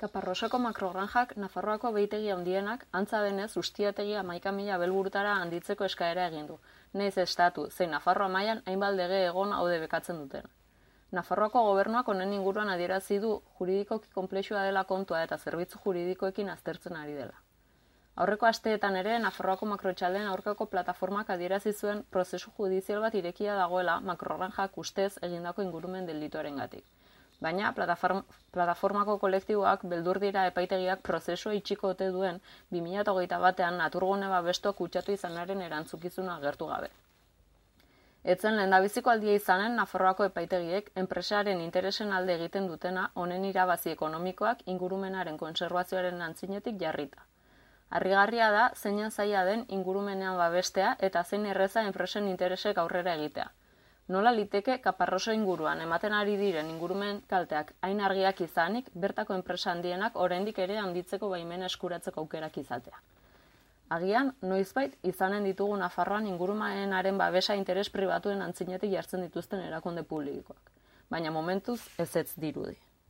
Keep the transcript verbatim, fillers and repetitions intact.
Kaparrosoko makrogranjak Nafarroako behitegi handienak, antza denez ustiategi hamaika mila abelburutara handitzeko eskaera egin du, nahiz estatu, zein Nafarroa mailan hainbat lege egon haude bekatzen duten. Nafarroako gobernuak honen inguruan adierazi du juridikoki konplexua dela kontua eta zerbitzu juridikoekin aztertzen ari dela. Aurreko asteetan ere Nafarroako makrotxaldeen aurkako plataformak adierazi zuen prozesu judizial bat irekia dagoela makrogranjak ustez egindako ingurumen delituarengatik. Baina plataformako kolektiboak beldur dira epaitegiak prozesua itxiko ote duen bi mila hogeita batean naturgune babestuak kutsatu izanaren erantzukizuna agertu gabe. Etzen lehendabiziko aldia izanen Nafarroako epaitegiek enpresaren interesen alde egiten dutena honen irabazi ekonomikoak ingurumenaren kontserbazioaren antzinetik jarrita. Harrigarria da zeinen zaila den ingurumenean babestea eta zein erreza enpresen interesek aurrera egitea. Nola liteke Kaparroso inguruan ematen ari diren ingurumen kalteak hain argiak izanik, bertako enpresa handienak oraindik ere handitzeko baimena eskuratzeko aukerak izatea. Agian, noizbait izanen ditugu Nafarroan ingurumenaren babesa interes pribatuen antzinetik jartzen dituzten erakunde publikoak, baina momentuz ezetz dirudi.